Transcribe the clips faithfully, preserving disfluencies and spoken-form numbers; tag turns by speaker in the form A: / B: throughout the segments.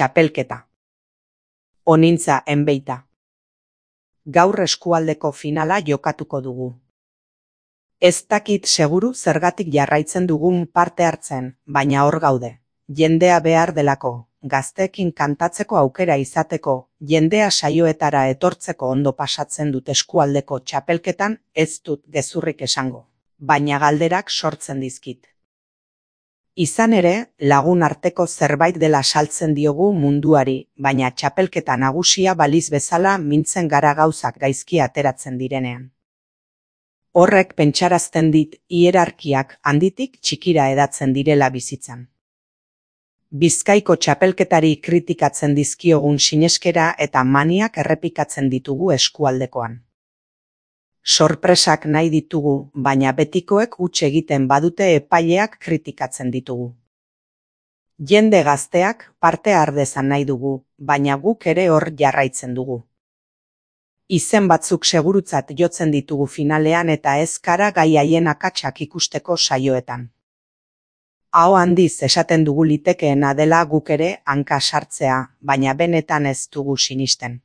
A: Txapelketa. Onintza enbeita. Gaur eskualdeko finala jokatuko dugu. Ez dakit seguru zergatik jarraitzen dugun parte hartzen, baina hor gaude. Jendea behar delako, gazteekin kantatzeko aukera izateko, jendea saioetara etortzeko ondo pasatzen dut eskualdeko txapelketan, ez dut gezurrik esango, baina galderak sortzen dizkit. Izan ere, lagun arteko zerbait dela saltzen diogu munduari, baina txapelketa nagusia baliz bezala mintzen gara gauzak gaizki ateratzen direnean. Horrek pentsarazten dit hierarkiak handitik txikira edatzen direla bizitzan. Bizkaiko txapelketari kritikatzen dizkiogun sineskera eta maniak errepikatzen ditugu eskualdekoan. Sorpresak nahi ditugu, baina betikoek huts egiten badute epaileak kritikatzen ditugu. Jende gazteak parte har dezan nahi dugu, baina guk ere hor jarraitzen dugu. Izen batzuk segurutzat jotzen ditugu finalean eta ez gara gai haien akatsak ikusteko saioetan. Aho handiz esaten dugu litekeena dela guk ere hanka sartzea, baina benetan ez dugu sinisten.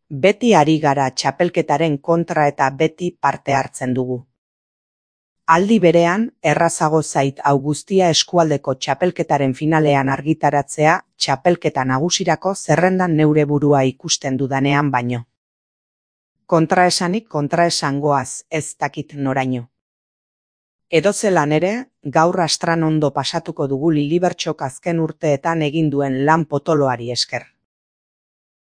A: Beti ari gara txapelketaren kontra eta beti parte hartzen dugu. Aldi berean, errazago zait hau guztia eskualdeko txapelketaren finalean argitaratzea txapelketa nagusirako zerrendan neure burua ikusten dudanean baino. Kontraesanik kontraesangoaz ez dakit noraino. Edozelan ere, gaur astran ondo pasatuko dugu Lilibertxok azken urteetan egin duen lan potoloari esker.